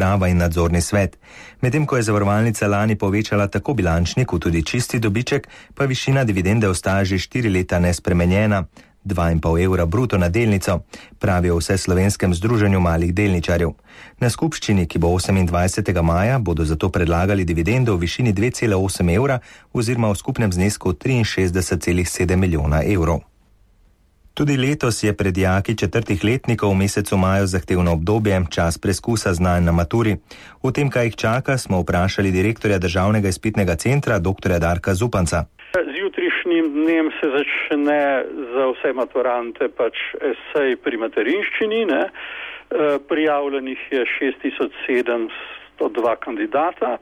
uprava in nadzorni svet. Medtem ko je zavarovalnica lani povečala tako bilančni kot tudi čisti dobiček, pa višina dividende ostaja že 4 leta nespremenjena. 2,5 evra bruto na delnico, pravijo v Vseslovenskem združenju malih delničarjev. Na skupščini, ki bo 28. maja, bodo zato predlagali dividendo v višini 2,8 evra oziroma v skupnem znesku 63,7 milijona evrov. Tudi letos je pred dijaki 4. letnikov v mesecu maju zahtevno obdobje, čas preskusa znanj na maturi. O tem, kaj jih čaka, smo vprašali direktorja Državnega izpitnega centra, dr. Darka Zupanca. Z jutrišnjim dnem se začne za vse maturante esej pri materinščini. Prijavljenih je 6702 kandidata.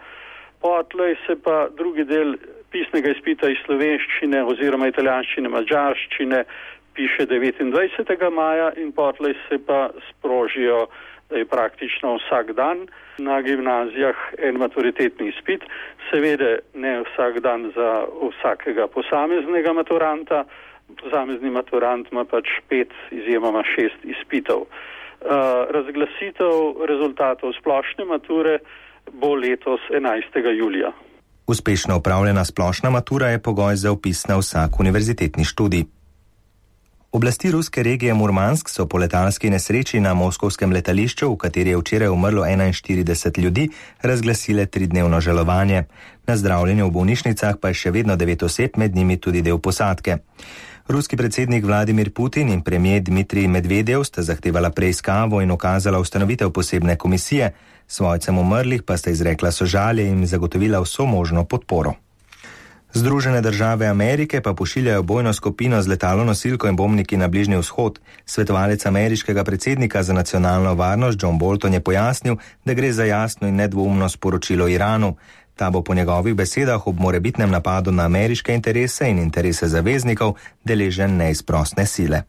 Potlej se pa drugi del pisnega izpita iz slovenščine oziroma italijanščine, madžarščine piše 29. maja in potlej se pa sprožijo praktično vsak dan na gimnazijah en maturitetni izpit. Seveda ne vsak dan za vsakega posameznega maturanta. Posamezni maturant ima 5, izjemoma 6 izpitov. Razglasitev rezultatov splošne mature bo letos 11. julija. Uspešno opravljena splošna matura je pogoj za vpis na vsak univerzitetni študij. Oblasti ruske regije Murmansk so po letalski nesreči na moskovskem letališču, v kateri je včeraj umrlo 41 ljudi, razglasile 3-dnevno žalovanje. Na zdravljenju v bolnišnicah pa je še vedno 9 oseb, med njimi tudi del posadke. Ruski predsednik Vladimir Putin in premier Dmitrij Medvedev sta zahtevala preiskavo in ukazala ustanovitev posebne komisije. Svojcem umrlih pa sta izrekla sožalje in zagotovila vso možno podporo. Združene države Amerike pa pošiljajo bojno skupino z letalonosilko in bombniki na Bližnji vzhod. Svetovalec ameriškega predsednika za nacionalno varnost John Bolton je pojasnil, da gre za jasno in nedvoumno sporočilo Iranu. Ta bo po njegovih besedah ob morebitnem napadu na ameriške interese in interese zaveznikov deležen neizprosne sile.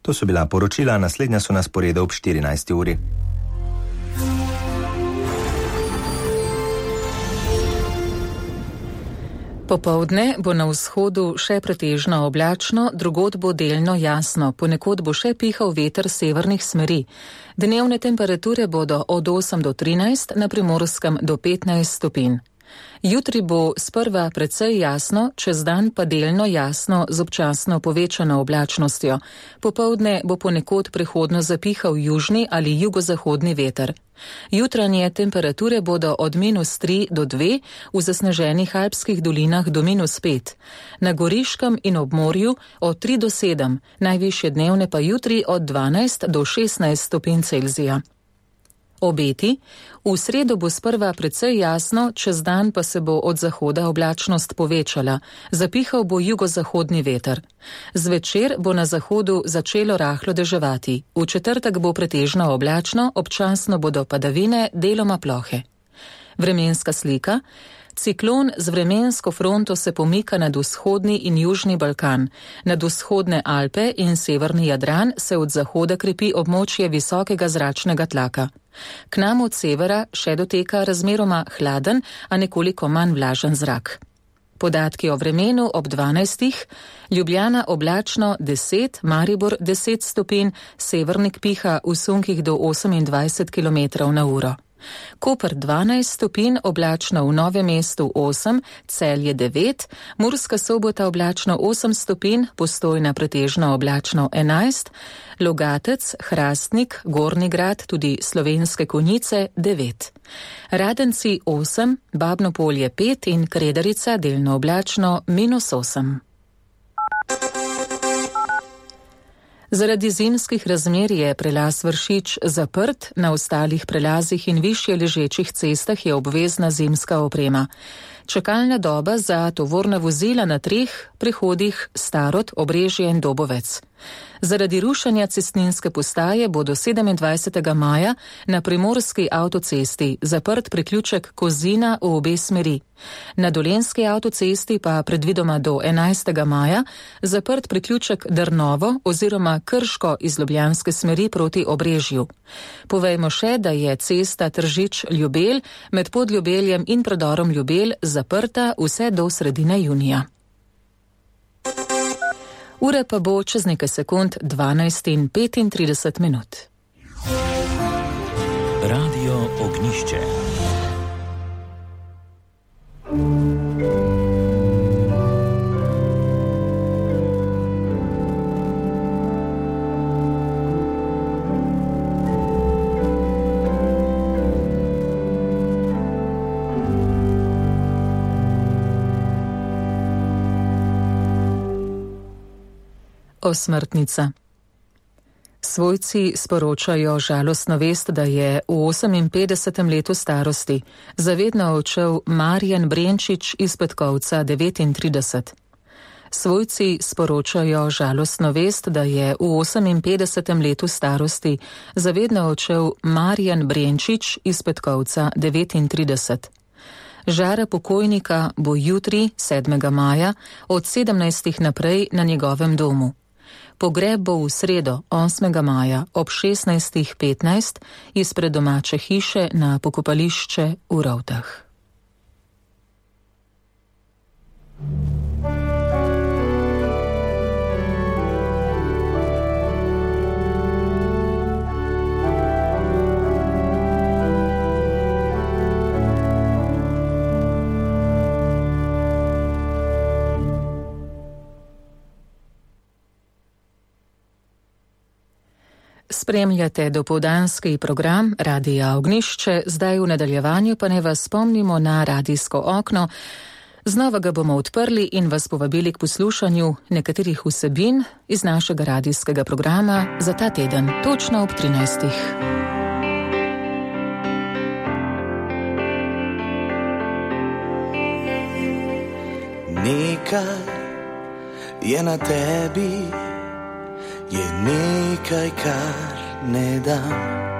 To so bila poročila, naslednja so na sporedu ob 14. uri. Popoldne bo na vzhodu še pretežno oblačno, drugod bo delno jasno, ponekod bo še pihal veter severnih smeri. Dnevne temperature bodo od 8 do 13, na Primorskem do 15 stopinj. Jutri bo sprva precej jasno, čez dan pa delno jasno z občasno povečano oblačnostjo. Popoldne bo ponekod prehodno zapihal južni ali jugozahodni veter. Jutranje temperature bodo od -3 do 2, v zasneženih alpskih dolinah do -5. Na Goriškem in ob morju od 3 do 7, najvišje dnevne pa jutri od 12 do 16 stopinj Celzija. Obeti. V sredo bo sprva precej jasno, čez dan pa se bo od zahoda oblačnost povečala. Zapihal bo jugozahodni veter. Zvečer bo na zahodu začelo rahlo deževati. V četrtek bo pretežno oblačno, občasno bodo padavine, deloma plohe. Vremenska slika. Ciklon z vremensko fronto se pomika nad vzhodni in južni Balkan. Nad vzhodne Alpe in severni Jadran se od zahoda krepi območje visokega zračnega tlaka. K nam od severa še doteka razmeroma hladen, a nekoliko manj vlažen zrak. Podatki o vremenu ob 12. Ljubljana oblačno 10, Maribor 10 stopinj, Severnik piha v sunkih do 28 km/h. Koper 12 stopinj, oblačno v Novem mestu 8, Celje 9, Murska Sobota oblačno 8 stopinj, Postojna pretežno oblačno 11, Logatec, Hrastnik, Gornji Grad, tudi Slovenske Konjice 9. Radenci 8, Babno Polje 5 in Kredarica delno oblačno -8. Zaradi zimskih razmer je prelaz Vršič zaprt, na ostalih prelazih in višje ležečih cestah je obvezna zimska oprema. Čakalna doba za tovorna vozila na 3 prehodih Starod, Obrežje in Dobovec. Zaradi rušenja cestninske postaje bo do 27. maja na primorski avtocesti zaprt priključek Kozina v obe smeri. Na dolenski avtocesti pa predvidoma do 11. maja zaprt priključek Drnovo oziroma Krško iz ljubljanske smeri proti Obrežju. Povejmo še, da je cesta Tržič-Ljubelj med Podljubeljem in predorom Ljubelj zaprta vse do sredine junija. Ure pa bo čez nekaj sekund 12:35. Radio Ognišče. Osmrtnica. Svojci sporočajo žalostno vest, da je v 58. letu starosti zavedno odšel Marjan Brenčič iz Petkovca 39. Svojci sporočajo žalostno vest, da je v 58. letu starosti zavedno odšel Marjan Brenčič iz Petkovca 39. Žara pokojnika bo jutri, 7. maja, od 17. naprej na njegovem domu. Pogreb bo v sredo, 8. maja, ob 16.15 izpred domače hiše na pokopališče v Rovtah. Spremljate dopoldanski program Radia Ognišče, zdaj v nadaljevanju pa ne vas spomnimo na radijsko okno. Znova ga bomo odprli in vas povabili k poslušanju nekaterih vsebin iz našega radijskega programa za ta teden, točno ob 13. Nekaj je na tebi, je nekaj, kar ne dam.